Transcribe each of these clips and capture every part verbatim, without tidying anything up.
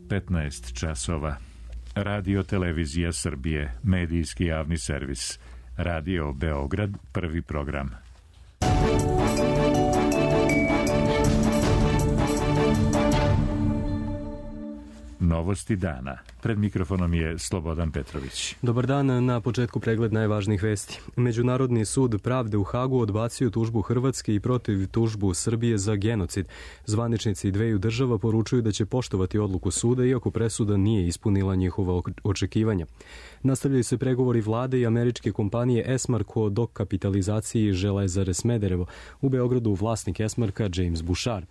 petnaest časova. Radio Televizija Srbije, medijski javni servis. Radio Beograd, prvi program. Novosti dana. Pred mikrofonom je Slobodan Petrović. Dobar dan, na početku pregled najvažnijih vesti. Međunarodni sud pravde u Hagu odbacio tužbu Hrvatske i protiv tužbu Srbije za genocid. Zvaničnici dveju država poručuju da će poštovati odluku suda, iako presuda nije ispunila njihova očekivanja. Nastavljaju se pregovori vlade i američke kompanije Esmark o dokapitalizaciji Železare Smederevo. U Beogradu vlasnik Esmarka James Bušar.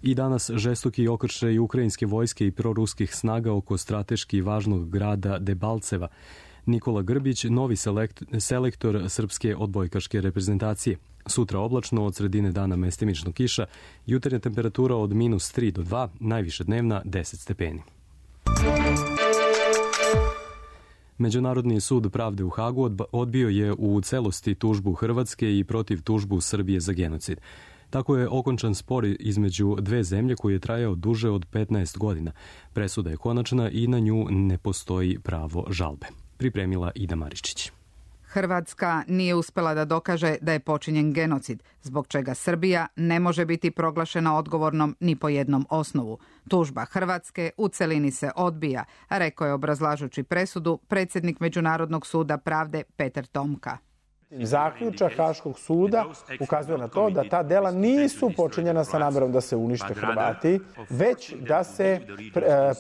I danas žestoki okršaj ukrajinske vojske i proruskih snaga oko strateški važnog grada Debalceva. Nikola Grbić, novi selekt, selektor srpske odbojkaške reprezentacije. Sutra oblačno, od sredine dana mestimično kiša, jutarnja temperatura od minus tri do dva, najviša dnevna deset stepeni. Međunarodni sud pravde u Hagu odbio je u celosti tužbu Hrvatske i protiv tužbu Srbije za genocid. Tako je okončan spor između dve zemlje koji je trajao duže od petnaest godina. Presuda je konačna i na nju ne postoji pravo žalbe. Pripremila Ida Maričić. Hrvatska nije uspela da dokaže da je počinjen genocid, zbog čega Srbija ne može biti proglašena odgovornom ni po jednom osnovu. Tužba Hrvatske u celini se odbija, rekao je obrazlažući presudu predsjednik Međunarodnog suda pravde Peter Tomka. Zaključak Haškog suda ukazuje na to da ta dela nisu počinjena sa namerom da se unište Hrvati, već da se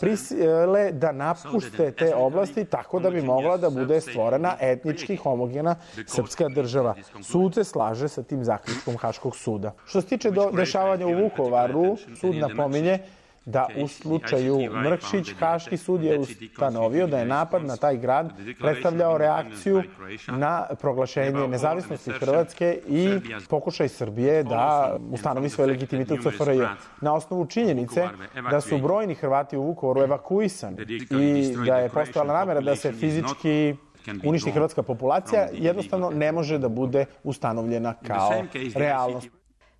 prisile da napuste te oblasti tako da bi mogla da bude stvorena etnički homogena srpska država. Sud se slaže sa tim zaključkom Haškog suda. Što se tiče do dešavanja u Vukovaru, sud napominje da u slučaju Mrkšić Haški sud je ustanovio da je napad na taj grad predstavljao reakciju na proglašenje nezavisnosti Hrvatske i pokušaj Srbije da ustanovi svoj legitimitet u C F R J. Na osnovu činjenice da su brojni Hrvati u Vukovaru evakuisani i da je postojala namera da se fizički uništi hrvatska populacija, jednostavno ne može da bude ustanovljena kao realnost.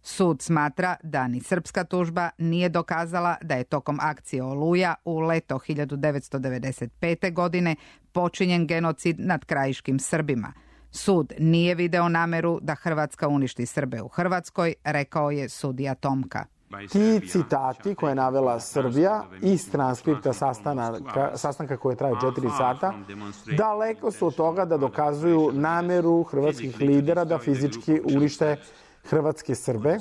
Sud smatra da ni srpska tužba nije dokazala da je tokom akcije Oluja u leto hiljadu devetsto devedeset pete. godine počinjen genocid nad krajiškim Srbima. Sud nije video nameru da Hrvatska uništi Srbe u Hrvatskoj, rekao je sudija Tomka. Ti citati koje je navela Srbija iz transkripta sastanka, sastanka koje traje četiri sata, daleko su od toga da dokazuju nameru hrvatskih lidera da fizički unište hrvatske Srbe,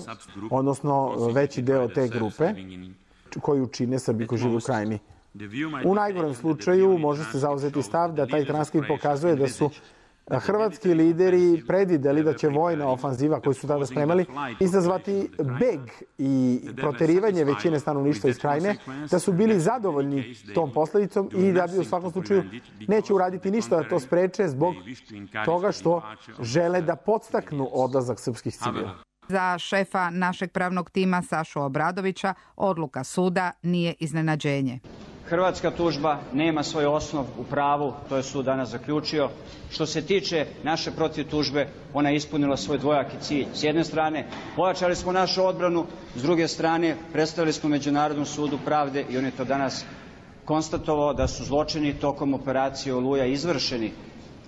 odnosno veći deo te grupe koju čine Srbi koji žive u Krajini. U najgorem slučaju može se zauzeti stav da taj transkript pokazuje da su hrvatski lideri predvideli da će vojna ofanziva koju su tada spremali izazvati beg i proterivanje većine stanovništva iz Krajine, da su bili zadovoljni tom posledicom i da bi u svakom slučaju neće uraditi ništa da to spreče zbog toga što žele da podstaknu odlazak srpskih civila. Za šefa našeg pravnog tima Sašu Obradovića odluka suda nije iznenađenje. Hrvatska tužba nema svoj osnov u pravu, to je sud danas zaključio. Što se tiče naše protiv tužbe, ona je ispunila svoj dvojaki cilj. S jedne strane, pojačali smo našu odbranu, s druge strane, predstavili smo Međunarodnom sudu pravde i on je to danas konstatovao da su zločini tokom operacije Oluja izvršeni.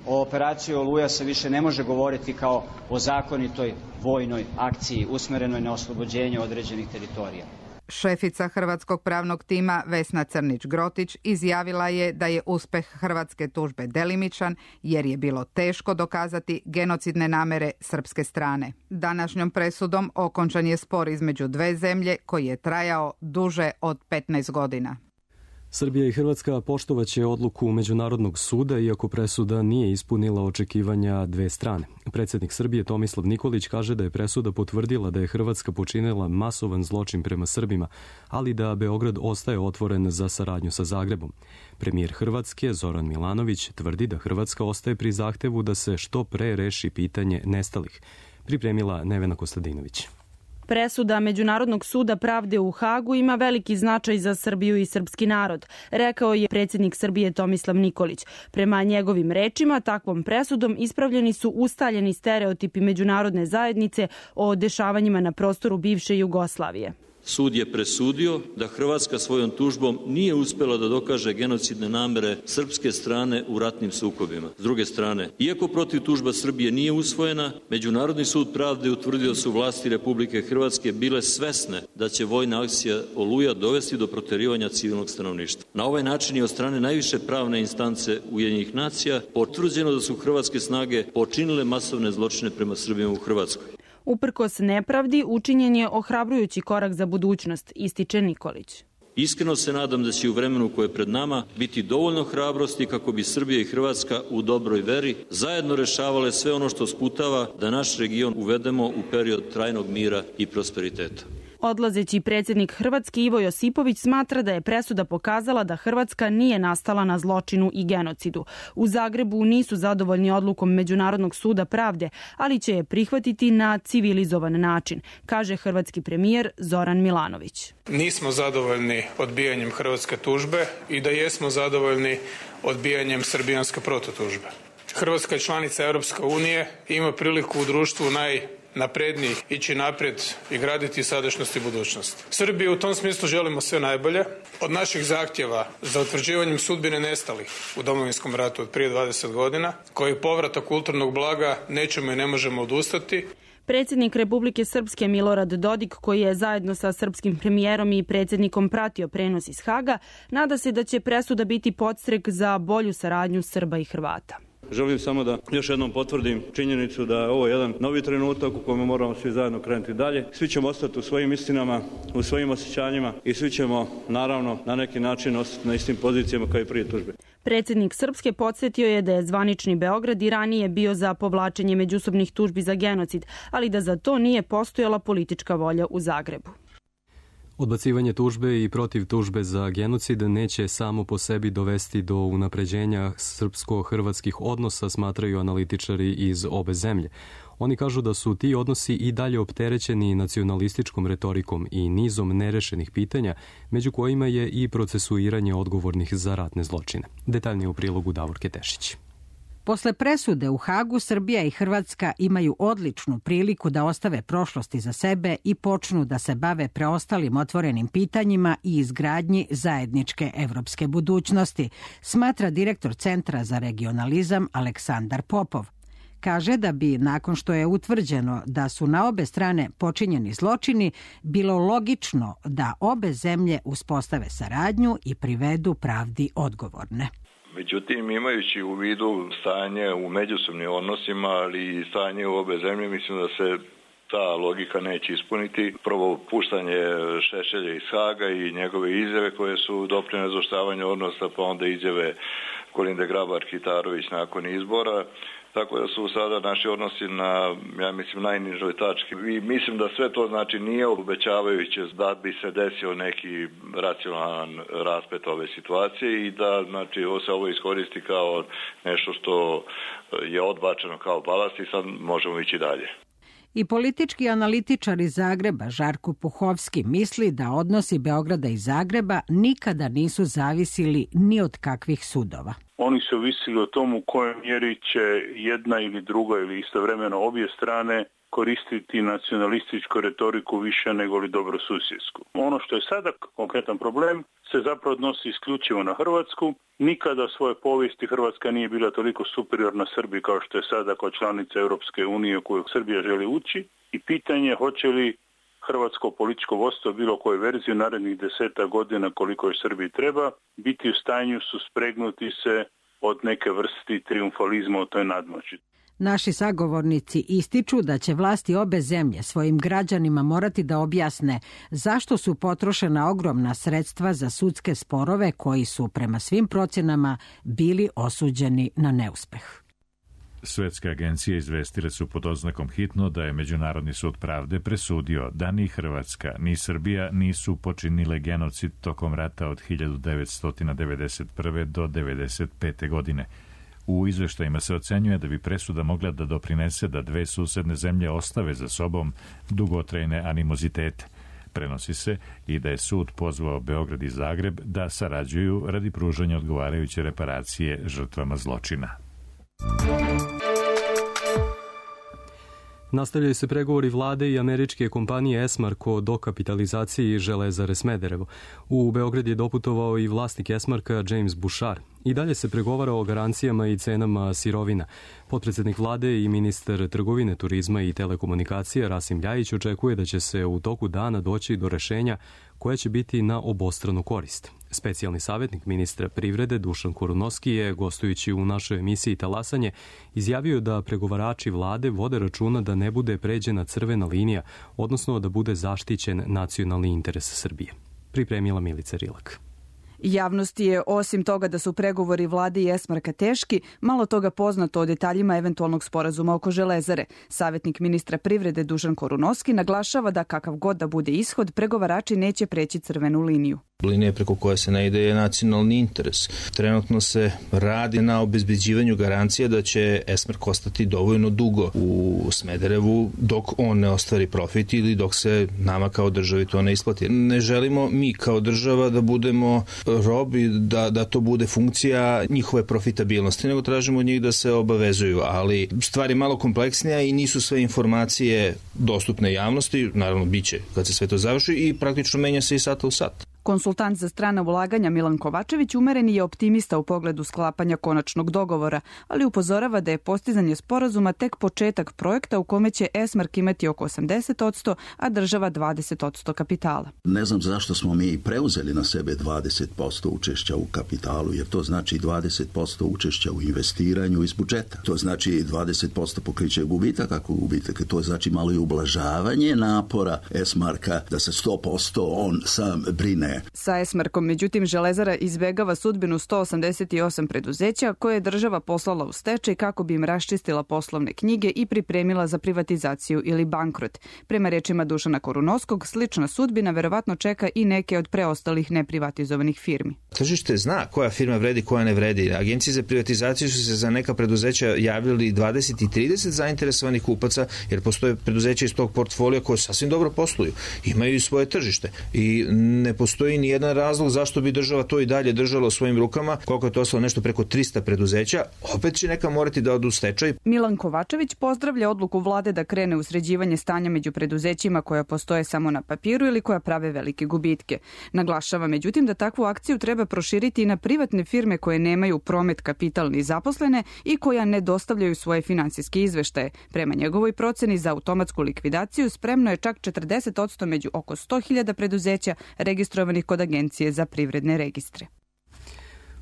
O operaciji Oluja se više ne može govoriti kao o zakonitoj vojnoj akciji usmerenoj na oslobođenje određenih teritorija. Šefica hrvatskog pravnog tima Vesna Crnić-Grotić izjavila je da je uspeh hrvatske tužbe delimičan jer je bilo teško dokazati genocidne namere srpske strane. Današnjom presudom okončan je spor između dve zemlje koji je trajao duže od petnaest godina. Srbija i Hrvatska poštovaće odluku Međunarodnog suda, iako presuda nije ispunila očekivanja dve strane. Predsjednik Srbije Tomislav Nikolić kaže da je presuda potvrdila da je Hrvatska počinila masovan zločin prema Srbima, ali da Beograd ostaje otvoren za saradnju sa Zagrebom. Premijer Hrvatske Zoran Milanović tvrdi da Hrvatska ostaje pri zahtevu da se što pre reši pitanje nestalih. Pripremila Nevena Kostadinović. Presuda Međunarodnog suda pravde u Hagu ima veliki značaj za Srbiju i srpski narod, rekao je predsjednik Srbije Tomislav Nikolić. Prema njegovim rečima, takvom presudom ispravljeni su ustaljeni stereotipi međunarodne zajednice o dešavanjima na prostoru bivše Jugoslavije. Sud je presudio da Hrvatska svojom tužbom nije uspela da dokaže genocidne namere srpske strane u ratnim sukobima. S druge strane, iako protiv tužba Srbije nije usvojena, Međunarodni sud pravde utvrdio da su vlasti Republike Hrvatske bile svesne da će vojna akcija Oluja dovesti do proterivanja civilnog stanovništva. Na ovaj način je od strane najviše pravne instance Ujedinjenih nacija potvrđeno da su hrvatske snage počinile masovne zločine prema Srbima u Hrvatskoj. Uprkos nepravdi, učinjen je ohrabrujući korak za budućnost, ističe Nikolić. Iskreno se nadam da će u vremenu koje je pred nama biti dovoljno hrabrosti kako bi Srbija i Hrvatska u dobroj veri zajedno rešavale sve ono što sputava da naš region uvedemo u period trajnog mira i prosperiteta. Odlazeći predsjednik Hrvatske Ivo Josipović smatra da je presuda pokazala da Hrvatska nije nastala na zločinu i genocidu. U Zagrebu nisu zadovoljni odlukom Međunarodnog suda pravde, ali će je prihvatiti na civilizovan način, kaže hrvatski premijer Zoran Milanović. Nismo zadovoljni odbijanjem hrvatske tužbe i da jesmo zadovoljni odbijanjem srbijanske protutužbe. Hrvatska je članica Europske unije i ima priliku u društvu naj naprednijih ići naprijed i graditi sadašnjost i budućnost. Srbiji u tom smislu želimo sve najbolje. Od naših zahtjeva za utvrđivanjem sudbine nestalih u Domovinskom ratu od prije dvadeset godina, koji povratak kulturnog blaga nećemo i ne možemo odustati. Predsjednik Republike Srpske Milorad Dodik, koji je zajedno sa srpskim premijerom i predsjednikom pratio prenos iz Haga, nada se da će presuda biti podstrek za bolju saradnju Srba i Hrvata. Želim samo da još jednom potvrdim činjenicu da je ovo jedan novi trenutak u kojem moramo svi zajedno krenuti dalje. Svi ćemo ostati u svojim istinama, u svojim osjećanjima i svi ćemo naravno na neki način ostati na istim pozicijama kao i prije tužbe. Predsjednik Srpske podsjetio je da je zvanični Beograd i ranije bio za povlačenje međusobnih tužbi za genocid, ali da za to nije postojala politička volja u Zagrebu. Odbacivanje tužbe i protiv tužbe za genocid neće samo po sebi dovesti do unapređenja srpsko-hrvatskih odnosa, smatraju analitičari iz obe zemlje. Oni kažu da su ti odnosi i dalje opterećeni nacionalističkom retorikom i nizom nerešenih pitanja, među kojima je i procesuiranje odgovornih za ratne zločine. Detaljnije u prilogu Davorke Tešić. Posle presude u Hagu, Srbija i Hrvatska imaju odličnu priliku da ostave prošlosti za sebe i počnu da se bave preostalim otvorenim pitanjima i izgradnji zajedničke evropske budućnosti, smatra direktor Centra za regionalizam Aleksandar Popov. Kaže da bi, nakon što je utvrđeno da su na obe strane počinjeni zločini, bilo logično da obe zemlje uspostave saradnju i privedu pravdi odgovorne. Međutim, imajući u vidu stanje u međusobnim odnosima, ali i stanje u obe zemlje, mislim da se ta logika neće ispuniti. Prvo, puštanje Šešelja iz Haga i njegove izjave koje su doprinele zaoštravanja odnosa, pa onda izjave Kolinde Grabar-Kitarović nakon izbora. Tako da su sada naši odnosi na, ja mislim, najnižoj tački. I mislim da sve to znači nije obećavajuće da bi se desio neki racionalan rasplet ove situacije i da znači, ovo se ovo iskoristi kao nešto što je odbačeno kao balast i sad možemo ići dalje. I politički analitičar iz Zagreba Žarko Puhovski misli da odnosi Beograda i Zagreba nikada nisu zavisili ni od kakvih sudova. Oni su ovisili o tomu u kojoj mjeri će jedna ili druga ili istovremeno obje strane koristiti nacionalističku retoriku više nego li dobrosusjedsku. Ono što je sada konkretan problem se zapravo odnosi isključivo na Hrvatsku. Nikada u svojoj povijesti Hrvatska nije bila toliko superiorna Srbiji kao što je sada kao članica Europske unije u koju Srbija želi ući i pitanje hoće li hrvatsko političko vodstvo bilo koje verzije u narednih deseta godina koliko je Srbiji treba biti u stanju suspregnuti se od neke vrsti triumfalizma u toj nadmoći. Naši sagovornici ističu da će vlasti obe zemlje svojim građanima morati da objasne zašto su potrošena ogromna sredstva za sudske sporove koji su prema svim procjenama bili osuđeni na neuspeh. Svetske agencije izvestile su pod oznakom hitno da je Međunarodni sud pravde presudio da ni Hrvatska ni Srbija nisu počinile genocid tokom rata od hiljadu devetsto devedeset prve do devedeset pete. godine. U izveštajima se ocenjuje da bi presuda mogla da doprinese da dve susedne zemlje ostave za sobom dugotrajne animozitete. Prenosi se i da je sud pozvao Beograd i Zagreb da sarađuju radi pružanja odgovarajuće reparacije žrtvama zločina. Nastavljaju se pregovori vlade i američke kompanije Esmark o dokapitalizaciji Železare Smederevo. U Beograd je doputovao i vlasnik Esmarka James Bouchard. I dalje se pregovara o garancijama i cenama sirovina. Potpredsednik vlade i ministar trgovine, turizma i telekomunikacija Rasim Ljajić očekuje da će se u toku dana doći do rešenja koja će biti na obostranu korist. Specijalni savjetnik ministra privrede Dušan Korunovski je, gostujući u našoj emisiji Talasanje, izjavio da pregovarači vlade vode računa da ne bude pređena crvena linija, odnosno da bude zaštićen nacionalni interes Srbije. Pripremila Milica Rilak. Javnosti je, osim toga da su pregovori vlade i Esmarka teški, malo toga poznato o detaljima eventualnog sporazuma oko Železare. Savjetnik ministra privrede Dušan Korunovski naglašava da kakav god da bude ishod, pregovarači neće preći crvenu liniju. Linija preko koje se ne ide je nacionalni interes. Trenutno se radi na obezbeđivanju garancija da će Esmark ostati dovoljno dugo u Smederevu dok on ne ostvari profit ili dok se nama kao državi to ne isplati. Ne želimo mi kao država da budemo robi, da, da to bude funkcija njihove profitabilnosti, nego tražimo od njih da se obavezuju, ali stvar je malo kompleksnija i nisu sve informacije dostupne javnosti, naravno biće kad se sve to završi i praktično menja se i sata u sat. Konsultant za strana ulaganja Milan Kovačević umereni je optimista u pogledu sklapanja konačnog dogovora, ali upozorava da je postizanje sporazuma tek početak projekta u kome će Esmark imati oko osamdeset posto, a država dvadeset posto kapitala. Ne znam zašto smo mi preuzeli na sebe dvadeset posto učešća u kapitalu, jer to znači dvadeset posto učešća u investiranju iz budžeta. To znači dvadeset posto pokriće gubitak, ako gubitak, to znači malo i ublažavanje napora Esmarka da se sto posto on sam brine. Sa Esmarkom, međutim, Železara izbegava sudbinu sto osamdeset osam preduzeća koje je država poslala u stečaj kako bi im raščistila poslovne knjige i pripremila za privatizaciju ili bankrot. Prema rečima Dušana Korunovskog, slična sudbina verovatno čeka i neke od preostalih neprivatizovanih firmi. Tržište zna koja firma vredi, koja ne vredi. Agencije za privatizaciju su se za neka preduzeća javljali dvadeset i trideset zainteresovanih kupaca, jer postoje preduzeća iz tog portfolija koje sasvim dobro posluju. Imaju i svoje tržište i ne postoji ni jedan razlog zašto bi država to i dalje držala u svojim rukama. Koliko je to ostalo, nešto preko trista preduzeća, opet će neka morati da odu u stečaj. Milan Kovačević pozdravlja odluku vlade da krene u sređivanje stanja među preduzećima koja postoje samo na papiru ili koja prave velike gubitke. Naglašava međutim da takvu akciju treba proširiti i na privatne firme koje nemaju promet, kapital ni zaposlene i koja ne dostavljaju svoje finansijske izveštaje. Prema njegovoj proceni za automatsku likvidaciju spremno je čak četrdeset posto među oko sto hiljada preduzeća registrovanih kod Agencije za privredne registre.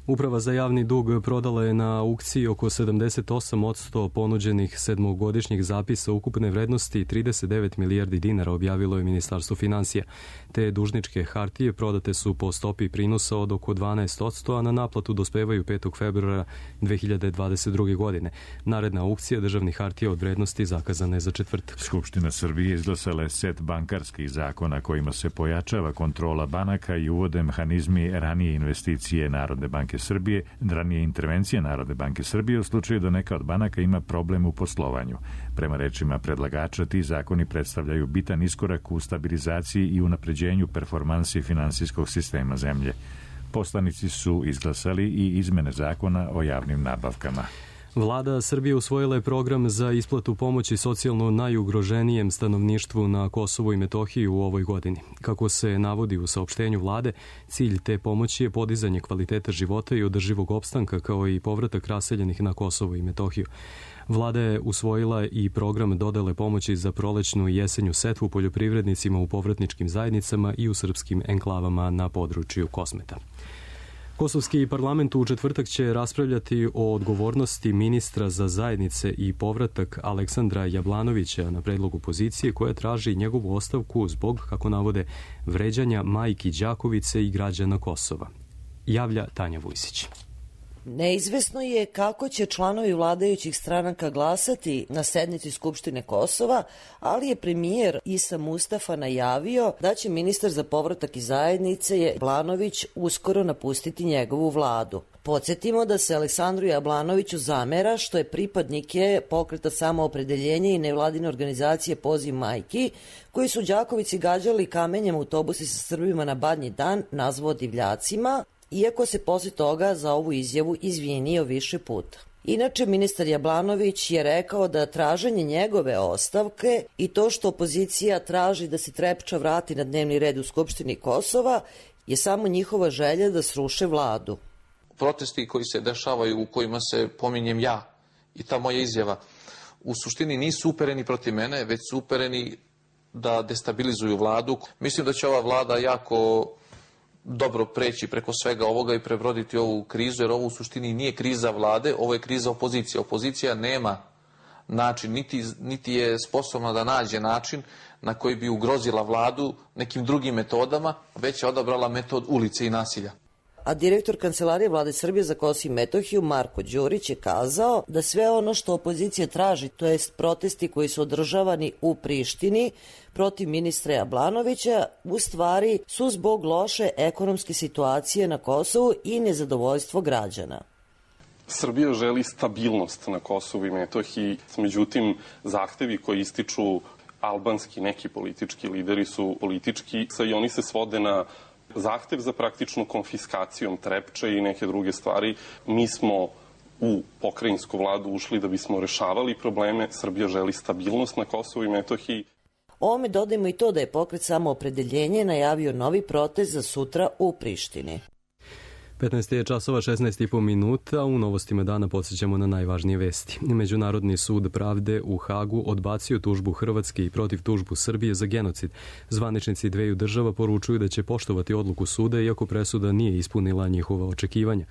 Uprava za javni dug prodala je na aukciji oko sedamdeset osam posto ponuđenih sedmogodišnjih zapisa ukupne vrednosti trideset devet milijardi dinara, objavilo je Ministarstvo finansija. Te dužničke hartije prodate su po stopi prinosa od oko dvanaest posto, a na naplatu dospevaju petog februara dve hiljade dvadeset druge. godine. Naredna aukcija državnih hartija od vrednosti zakazana je za četvrtak. Skupština Srbije izglasala je set bankarskih zakona kojima se pojačava kontrola banaka i uvode mehanizmi ranije investicije Narodne banke Srbije, ranije intervencije Narodne banke Srbije u slučaju da neka od banaka ima problem u poslovanju. Prema rečima predlagača, ti zakoni predstavljaju bitan iskorak u stabilizaciji i unapređenju performansi finansijskog sistema zemlje. Poslanici su izglasali i izmene zakona o javnim nabavkama. Vlada Srbije usvojila je program za isplatu pomoći socijalno najugroženijem stanovništvu na Kosovu i Metohiji u ovoj godini. Kako se navodi u saopštenju vlade, cilj te pomoći je podizanje kvaliteta života i održivog opstanka, kao i povratak raseljenih na Kosovo i Metohiju. Vlada je usvojila i program dodele pomoći za prolećnu i jesenju setvu poljoprivrednicima u povratničkim zajednicama i u srpskim enklavama na području Kosmeta. Kosovski parlament u četvrtak će raspravljati o odgovornosti ministra za zajednice i povratak Aleksandra Jablanovića na predlog opozicije koja traži njegovu ostavku zbog, kako navode, vređanja majki Đakovice i građana Kosova. Javlja Tanja Vujsić. Neizvesno je kako će članovi vladajućih stranaka glasati na sednici Skupštine Kosova, ali je premijer Isa Mustafa najavio da će ministar za povratak i zajednice Jablanović uskoro napustiti njegovu vladu. Podsjetimo da se Aleksandru Jablanoviću zamera što je pripadnike pokreta Samoopredeljenje i nevladine organizacije Poziv majki, koji su Đakovici gađali kamenjem autobusi sa Srbima na Badnji dan, nazvao divljacima, iako se posle toga za ovu izjavu izvinio više puta. Inače, ministar Jablanović je rekao da traženje njegove ostavke i to što opozicija traži da se Trepča vrati na dnevni red u Skupštini Kosova je samo njihova želja da sruše vladu. Protesti koji se dešavaju, u kojima se pominjem ja i ta moja izjava, u suštini nisu upereni protiv mene, već su upereni da destabilizuju vladu. Mislim da će ova vlada jako dobro preći preko svega ovoga i prebroditi ovu krizu, jer ovo u suštini nije kriza vlade, ovo je kriza opozicije. Opozicija nema način, niti, niti je sposobna da nađe način na koji bi ugrozila vladu nekim drugim metodama, već je odabrala metod ulice i nasilja. A direktor Kancelarije Vlade Srbije za Kosovo i Metohiju Marko Đurić je kazao da sve ono što opozicija traži, to jest protesti koji su održavani u Prištini protiv ministra Jablanovića, u stvari su zbog loše ekonomske situacije na Kosovu i nezadovoljstvo građana. Srbija želi stabilnost na Kosovu i Metohiji, međutim zahtevi koji ističu albanski neki politički lideri su politički i oni se svode na zahtev za praktičnu konfiskacijom Trepče i neke druge stvari. Mi smo u pokrajinsku vladu ušli da bismo rešavali probleme. Srbija želi stabilnost na Kosovu i Metohiji. Ovome dodajmo i to da je pokret Samoopredeljenje najavio novi protest za sutra u Prištini. petnaest je časova šesnaest i po minuta. U novostima dana podsjećamo na najvažnije vesti. Međunarodni sud pravde u Hagu odbacio tužbu Hrvatske i protiv tužbu Srbije za genocid. Zvaničnici dveju država poručuju da će poštovati odluku suda, iako presuda nije ispunila njihova očekivanja.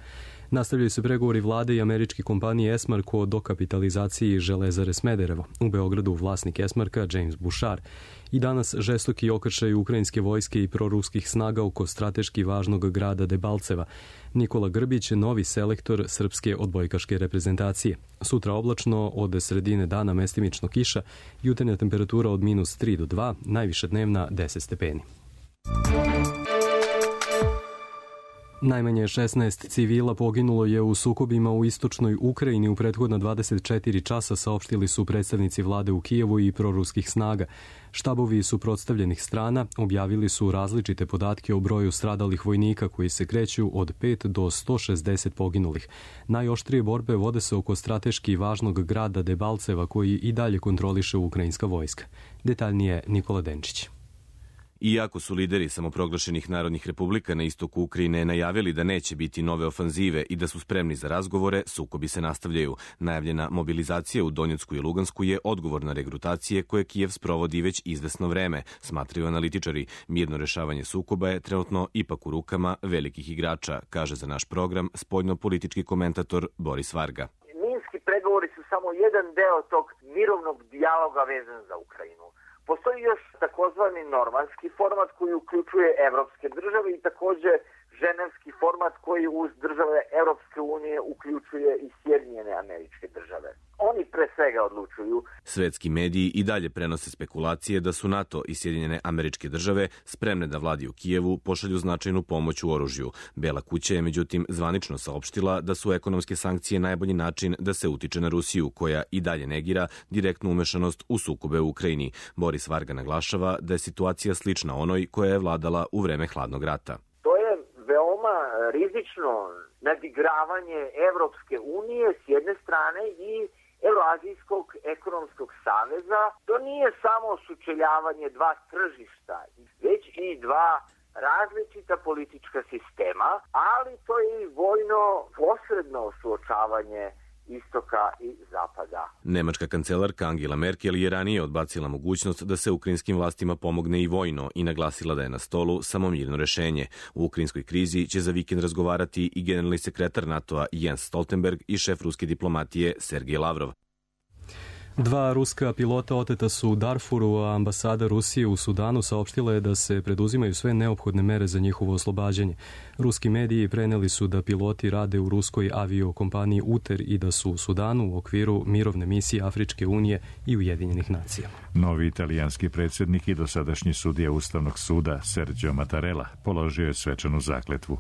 Nastavljaju se pregovori vlade i američke kompanije Esmark o dokapitalizaciji Železare Smederevo. U Beogradu vlasnik Esmarka James Bouchard. I danas žestoki okršaj ukrajinske vojske i proruskih snaga oko strateški važnog grada Debalceva. Nikola Grbić, novi selektor srpske odbojkaške reprezentacije. Sutra oblačno, od sredine dana mestimično kiša, jutarnja temperatura od minus tri do dva, najviša dnevna deset stepeni. Najmanje šesnaest civila poginulo je u sukobima u istočnoj Ukrajini u prethodna dvadeset četiri časa, saopštili su predstavnici vlade u Kijevu i proruskih snaga. Štabovi suprotstavljenih strana objavili su različite podatke o broju stradalih vojnika koji se kreću od pet do sto šezdeset poginulih. Najoštrije borbe vode se oko strateški važnog grada Debalceva koji i dalje kontroliše ukrajinska vojska. Detaljnije Nikola Denčić. Iako su lideri samoproglašenih narodnih republika na istoku Ukrajine najavili da neće biti nove ofanzive i da su spremni za razgovore, sukobi se nastavljaju. Najavljena mobilizacija u Donjecku i Lugansku je odgovor na regrutacije koje Kijev sprovodi već izvesno vreme, smatraju analitičari. Mirno rešavanje sukoba je trenutno ipak u rukama velikih igrača, kaže za naš program spoljno-politički komentator Boris Varga. Minski pregovori su samo jedan deo tog mirovnog dijaloga vezan za Ukrajinu. Postoji još takozvani normanski format koji uključuje evropske države i takođe ženevski format koji uz države Evropske unije uključuje i Sjedinjene Američke Države. Oni pre svega odlučuju. Svetski mediji i dalje prenose spekulacije da su NATO i Sjedinjene Američke Države spremne da vladi u Kijevu pošalju značajnu pomoć u oružju. Bela kuća je međutim zvanično saopštila da su ekonomske sankcije najbolji način da se utiče na Rusiju, koja i dalje negira direktnu umešanost u sukobe u Ukrajini. Boris Varga naglašava da je situacija slična onoj koja je vladala u vreme hladnog rata. Veoma rizično nadigravanje Evropske unije s jedne strane i Euroazijskog ekonomskog saveza. To nije samo sučeljavanje dva tržišta, već i dva različita politička sistema, ali to je i vojno posredno suočavanje istoka i zapada. Nemačka kancelarka Angela Merkel je ranije odbacila mogućnost da se ukrajinskim vlastima pomogne i vojno i naglasila da je na stolu samo mirno rešenje. U ukrajinskoj krizi će za vikend razgovarati i generalni sekretar NATO-a Jens Stoltenberg i šef ruske diplomatije Sergej Lavrov. Dva ruska pilota oteta su u Darfuru, a ambasada Rusije u Sudanu saopštila je da se preduzimaju sve neophodne mere za njihovo oslobađanje. Ruski mediji preneli su da piloti rade u ruskoj aviokompaniji Uter i da su u Sudanu u okviru mirovne misije Afričke unije i Ujedinjenih nacija. Novi italijanski predsjednik i dosadašnji sudija Ustavnog suda Sergio Mattarella položio je svečanu zakletvu.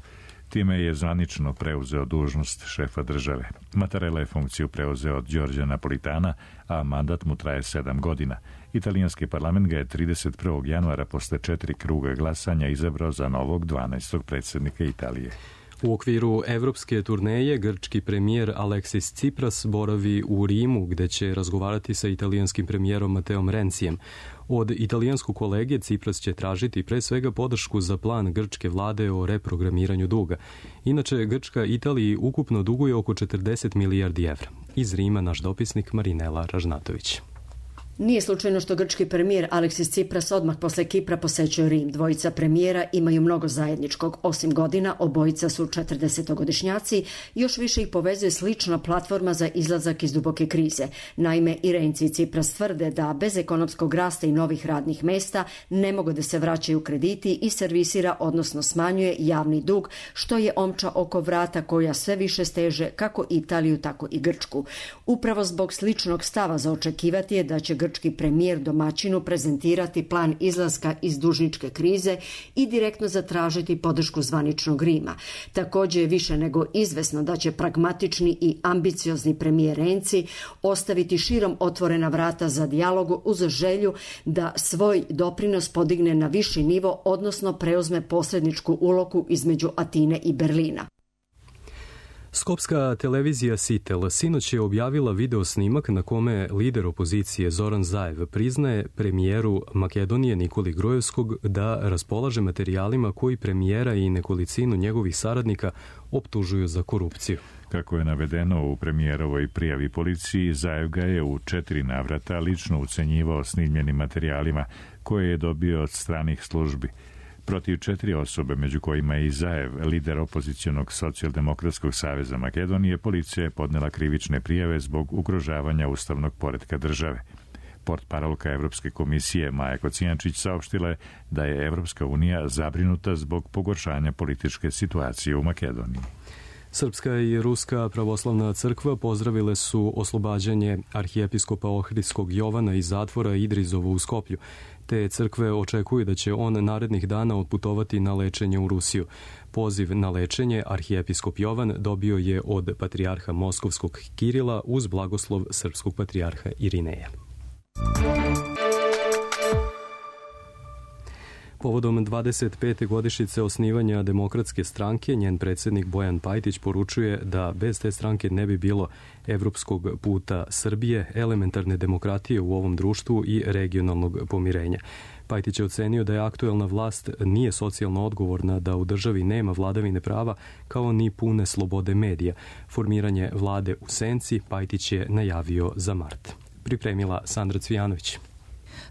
Time je zvanično preuzeo dužnost šefa države. Mattarella je funkciju preuzeo od Đorđa Napolitana, a mandat mu traje sedam godina. Italijanski parlament ga je trideset prvog januara posle četiri kruga glasanja izabrao za novog dvanaestog predsjednika Italije. U okviru evropske turneje grčki premijer Aleksis Tsipras boravi u Rimu gde će razgovarati sa italijanskim premijerom Mateom Rencijem. Od italijanskog kolege Tsipras će tražiti pre svega podršku za plan grčke vlade o reprogramiranju duga. Inače, Grčka Italiji ukupno duguje oko četrdeset milijardi evra. Iz Rima naš dopisnik Marinela Ražnatović. Nije slučajno što grčki premijer Aleksis Tsipras odmah posle Kipra posećuje Rim. Dvojica premijera imaju mnogo zajedničkog. Osim godina, obojica su četrdesetogodišnjaci, još više ih povezuje slična platforma za izlazak iz duboke krize. Naime, i Renci i Tsipras tvrde da bez ekonomskog rasta i novih radnih mesta ne mogu da se vraćaju krediti i servisira, odnosno smanjuje javni dug, što je omča oko vrata koja sve više steže kako Italiju, tako i Grčku. Upravo zbog sličnog stava za očekivati je da će grčki premijer domaćinu prezentirati plan izlaska iz dužničke krize i direktno zatražiti podršku zvaničnog Rima. Također je više nego izvesno da će pragmatični i ambiciozni premijer Renci ostaviti širom otvorena vrata za dijalogu uz želju da svoj doprinos podigne na viši nivo, odnosno preuzme posredničku ulogu između Atine i Berlina. Skopska televizija Sitel sinoć je objavila video snimak na kome lider opozicije Zoran Zaev priznaje premijeru Makedonije Nikoli Grojevskog da raspolaže materijalima koji premijera i nekolicinu njegovih saradnika optužuju za korupciju. Kako je navedeno u premijerovoj prijavi policiji, Zaev ga je u četiri navrata lično ucenjivao snimljenim materijalima koje je dobio od stranih službi. Protiv četiri osobe, među kojima je i Zaev, lider opozicionog socijaldemokratskog saveza Makedonije, policija je podnela krivične prijave zbog ugrožavanja ustavnog poretka države. Portparolka Evropske komisije Maja Kocijančić saopštila je da je Evropska unija zabrinuta zbog pogoršanja političke situacije u Makedoniji. Srpska i Ruska pravoslavna crkva pozdravile su oslobađanje arhijepiskopa Ohridskog Jovana iz zatvora Idrizovo u Skoplju. Te crkve očekuju da će on narednih dana otputovati na lečenje u Rusiju. Poziv na lečenje arhijepiskop Jovan dobio je od patrijarha Moskovskog Kirila uz blagoslov srpskog patrijarha Irineja. Povodom dvadeset pete godišnjice osnivanja Demokratske stranke, njen predsjednik Bojan Pajtić poručuje da bez te stranke ne bi bilo evropskog puta Srbije, elementarne demokratije u ovom društvu i regionalnog pomirenja. Pajtić je ocenio da je aktuelna vlast nije socijalno odgovorna, da u državi nema vladavine prava kao ni pune slobode medija. Formiranje vlade u senci Pajtić je najavio za mart. Pripremila Sandra Cvijanović.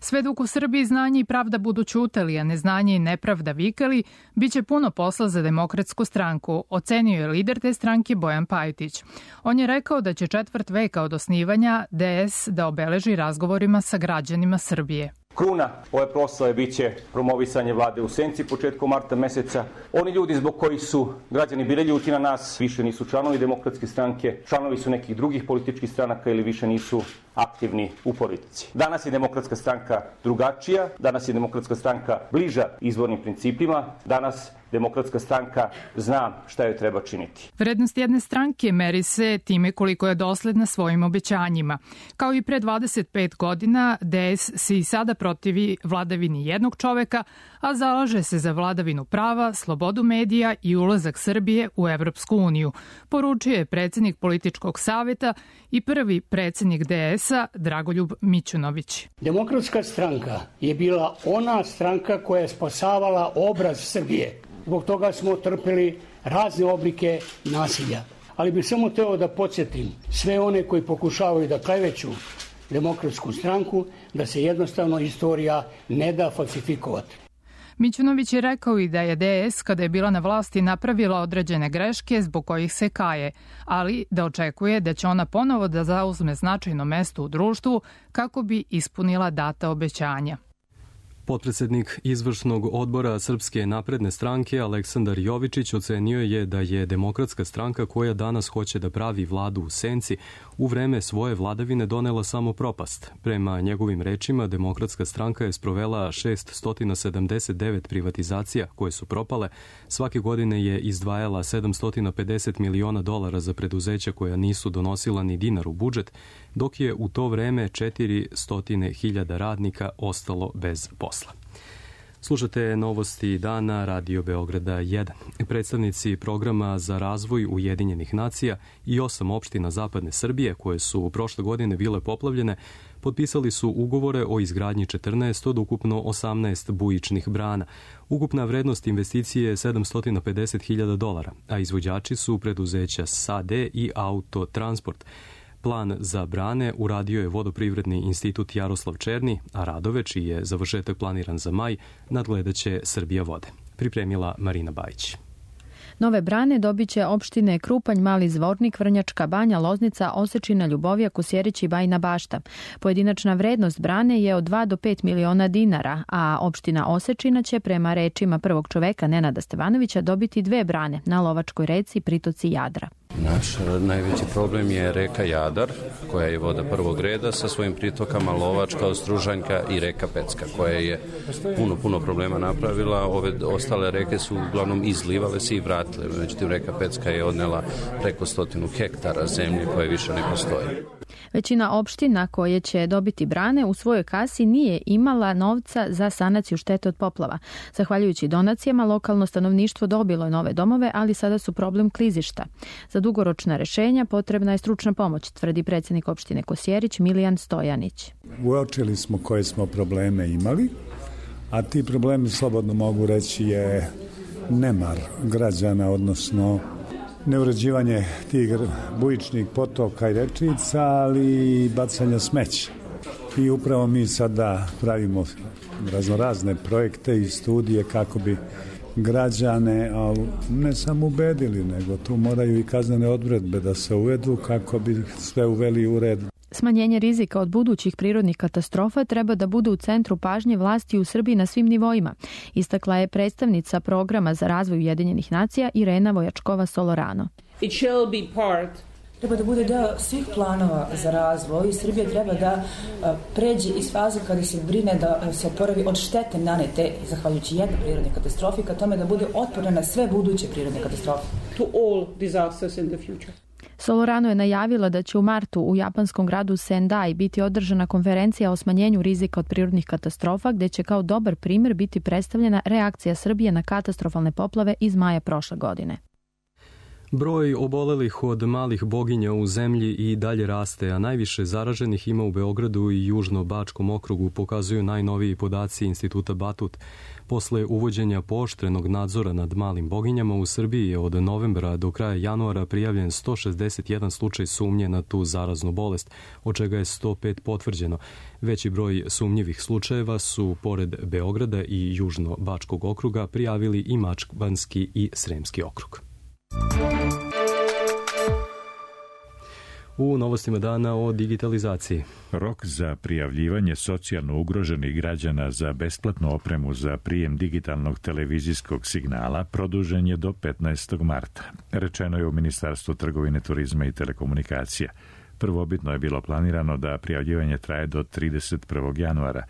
Sve dok u Srbiji znanje i pravda budu ćutali, a neznanje i nepravda vikali, bit će puno posla za Demokratsku stranku, ocenio je lider te stranke Bojan Pajtić. On je rekao da će četvrt veka od osnivanja D S da obeleži razgovorima sa građanima Srbije. Kruna ove proslave biće promovisanje vlade u senci početkom marta meseca. Oni ljudi zbog kojih su građani bili ljuti na nas više nisu članovi Demokratske stranke, članovi su nekih drugih političkih stranaka ili više nisu aktivni u politici. Danas je Demokratska stranka drugačija, danas je Demokratska stranka bliža izvornim principima, danas Demokratska stranka zna šta joj treba činiti. Vrednost jedne stranke meri se time koliko je dosledna svojim obećanjima. Kao i pre dvadeset pet godina, D S se i sada protivi vladavini jednog čoveka, a zalaže se za vladavinu prava, slobodu medija i ulazak Srbije u Evropsku uniju, poručio je predsjednik političkog saveta i prvi predsjednik D S-a Dragoljub Mićunović. Demokratska stranka je bila ona stranka koja je spasavala obraz Srbije. Zbog toga smo trpeli razne oblike nasilja. Ali bih samo teo da podsjetim sve one koji pokušavaju da kleveću Demokratsku stranku, da se jednostavno istorija ne da falsifikovati. Mićunović je rekao i da je D S kada je bila na vlasti napravila određene greške zbog kojih se kaje, ali da očekuje da će ona ponovo da zauzme značajno mesto u društvu kako bi ispunila data obećanja. Potpredsednik izvršnog odbora Srpske napredne stranke Aleksandar Jovičić ocenio je da je Demokratska stranka koja danas hoće da pravi vladu u senci u vreme svoje vladavine donela samo propast. Prema njegovim rečima, Demokratska stranka je sprovela šessto sedamdeset devet privatizacija koje su propale. Svake godine je izdvajala sedamsto pedeset miliona dolara za preduzeća koja nisu donosila ni dinar u budžet, dok je u to vreme četiristo hiljada radnika ostalo bez posla. Slušate novosti dana Radio Beograda jedan. Predstavnici programa za razvoj Ujedinjenih nacija i osam opština zapadne Srbije, koje su prošle godine bile poplavljene, potpisali su ugovore o izgradnji četrnaest od ukupno osamnaest bujičnih brana. Ukupna vrednost investicije je sedamsto pedeset hiljada dolara, a izvođači su preduzeća S A D i Autotransport. Plan za brane uradio je Vodoprivredni institut Jaroslav Černi, a radove, čiji je završetak planiran za maj, nadgledaće Srbija vode. Pripremila Marina Bajić. Nove brane dobit će opštine Krupanj, Mali Zvornik, Vrnjačka Banja, Loznica, Osečina, Ljubovija, Kosjerić i Bajina Bašta. Pojedinačna vrednost brane je od dva do pet miliona dinara, a opština Osečina će prema rečima prvog čoveka Nenada Stevanovića dobiti dve brane na Lovačkoj reci i pritoci Jadra. Naš najveći problem je reka Jadar, koja je voda prvog reda sa svojim pritokama Lovačka, Ostružanjka i reka Pecka, koja je puno, puno problema napravila. Ove ostale reke su uglavnom izlivale se i vratile. Međutim, reka Pecka je odnela preko stotinu hektara zemlje koje više ne postoje. Većina opština koje će dobiti brane u svojoj kasi nije imala novca za sanaciju štete od poplava. Zahvaljujući donacijama, lokalno stanovništvo dobilo je nove domove, ali sada su problem klizišta. Za dugoročna rešenja potrebna je stručna pomoć, tvrdi predsjednik opštine Kosjerić Milijan Stojanić. Uočili smo koje smo probleme imali, a ti problemi, slobodno mogu reći, je nemar građana, odnosno neuređivanje tih bujičnih potoka i rečica, ali i bacanja smeća. I upravo mi sada pravimo raznorazne projekte i studije kako bi građane ne samo ubedili, nego tu moraju i kaznene odredbe da se uvedu kako bi sve uveli u red. Smanjenje rizika od budućih prirodnih katastrofa treba da bude u centru pažnje vlasti u Srbiji na svim nivoima, istakla je predstavnica programa za razvoj Ujedinjenih nacija Irena Vojačkova-Solorano. It shall be part treba da bude deo svih planova za razvoj i Srbija treba da pređe iz faze kada se brine da se oporavi od štete nanete zahvaljujući jednoj prirodnoj katastrofi ka tome da bude otporna na sve buduće prirodne katastrofe. To all disasters in the future. Solorano je najavila da će u martu u japanskom gradu Sendai biti održana konferencija o smanjenju rizika od prirodnih katastrofa, gde će kao dobar primjer biti predstavljena reakcija Srbije na katastrofalne poplave iz maja prošle godine. Broj obolelih od malih boginja u zemlji i dalje raste, a najviše zaraženih ima u Beogradu i Južno-Bačkom okrugu, pokazuju najnoviji podaci Instituta Batut. Posle uvođenja pooštrenog nadzora nad malim boginjama u Srbiji je od novembra do kraja januara prijavljen sto šezdeset jedan slučaj sumnje na tu zaraznu bolest, od čega je sto pet potvrđeno. Veći broj sumnjivih slučajeva su, pored Beograda i Južno-Bačkog okruga, prijavili i Mačvanski i Sremski okrug. U novostima dana o digitalizaciji. Rok za prijavljivanje socijalno ugroženih građana za besplatnu opremu za prijem digitalnog televizijskog signala produžen je do petnaestog marta. Rečeno je u Ministarstvu trgovine, turizma i telekomunikacija. Prvobitno je bilo planirano da prijavljivanje traje do trideset prvog januara.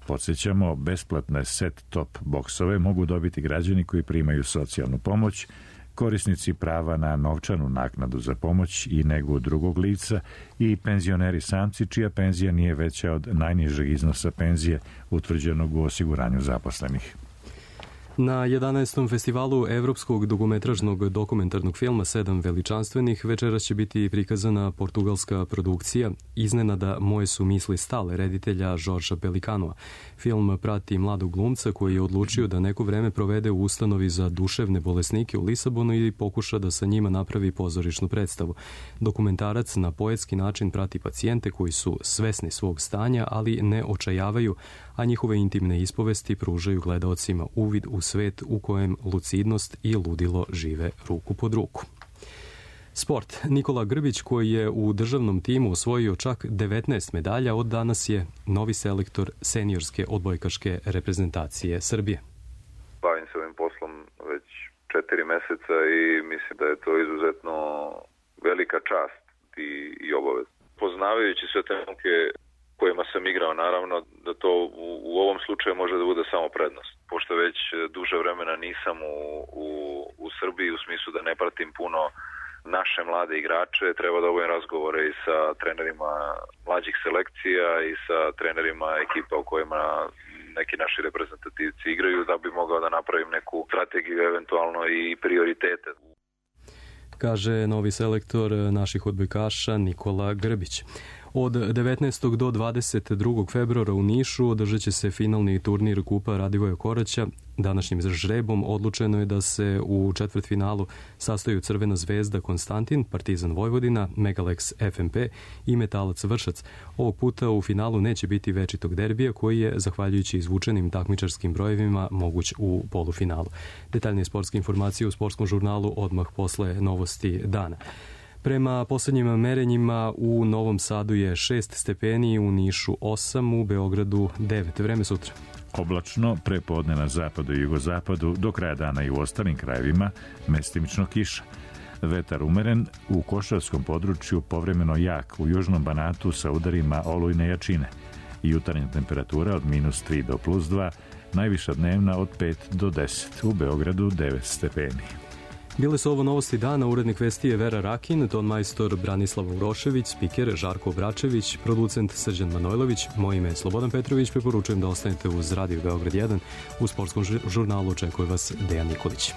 Podsjećamo, besplatne set-top boksove mogu dobiti građani koji primaju socijalnu pomoć, korisnici prava na novčanu naknadu za pomoć i negu drugog lica i penzioneri samci čija penzija nije veća od najnižeg iznosa penzije utvrđenog u osiguranju zaposlenih. Na jedanaestom festivalu evropskog dugometražnog dokumentarnog filma Sedam veličanstvenih večeras će biti prikazana portugalska produkcija Iznenada moje su misli stale reditelja Žorža Pelikanova. Film prati mladog glumca koji je odlučio da neko vreme provede u ustanovi za duševne bolesnike u Lisabonu i pokuša da sa njima napravi pozorišnu predstavu. Dokumentarac na poetski način prati pacijente koji su svesni svog stanja, ali ne očajavaju, a njihove intimne ispovesti pružaju gledaocima uvid u svet u kojem lucidnost i ludilo žive ruku pod ruku. Sport. Nikola Grbić, koji je u državnom timu osvojio čak devetnaest medalja, od danas je novi selektor seniorske odbojkaške reprezentacije Srbije. Bavim se ovim poslom već četiri meseca i mislim da je to izuzetno velika čast i, i obavez. Poznavajući sve te momke kojima sam igrao, naravno da to u, u ovom slučaju može da bude samo prednost. Pošto već duže vremena nisam u, u, u Srbiji, u smislu da ne pratim puno naše mlade igrače, treba da obavim razgovore i sa trenerima mlađih selekcija i sa trenerima ekipa u kojima neki naši reprezentativci igraju, da bi mogao da napravim neku strategiju, eventualno i prioritete. Kaže novi selektor naših odbojkaša Nikola Grbić. Od devetnaestog do dvadeset drugog februara u Nišu održat će se finalni turnir Kupa Radivoja Koraća. Današnjim žrebom odlučeno je da se u četvrtfinalu sastaju Crvena zvezda Konstantin, Partizan Vojvodina, Megalex F M P i Metalac Vršac. Ovog puta u finalu neće biti večitog derbija koji je, zahvaljujući izvučenim takmičarskim brojevima, moguć u polufinalu. Detaljnije sportske informacije u sportskom žurnalu odmah posle novosti dana. Prema poslednjim merenjima u Novom Sadu je šest stepeni, u Nišu osam, u Beogradu devet. Vreme sutra. Oblačno, prepodne na zapadu i jugozapadu, do kraja dana i u ostalim krajevima, mestimično kiša. Vetar umeren, u Košarskom području povremeno jak, u južnom Banatu sa udarima olujne jačine. Jutarnja temperatura od minus tri do plus dva, najviša dnevna od pet do deset, u Beogradu devet stepeni. Bile su ovo novosti dana, urednik vesti je Vera Rakin, ton majstor Branislav Urošević, spiker Žarko Bračević, producent Srđan Manojlović, moje ime je Slobodan Petrović, preporučujem da ostanete uz Radio Beograd jedan, u sportskom žurnalu očekuje vas Dejan Nikolić.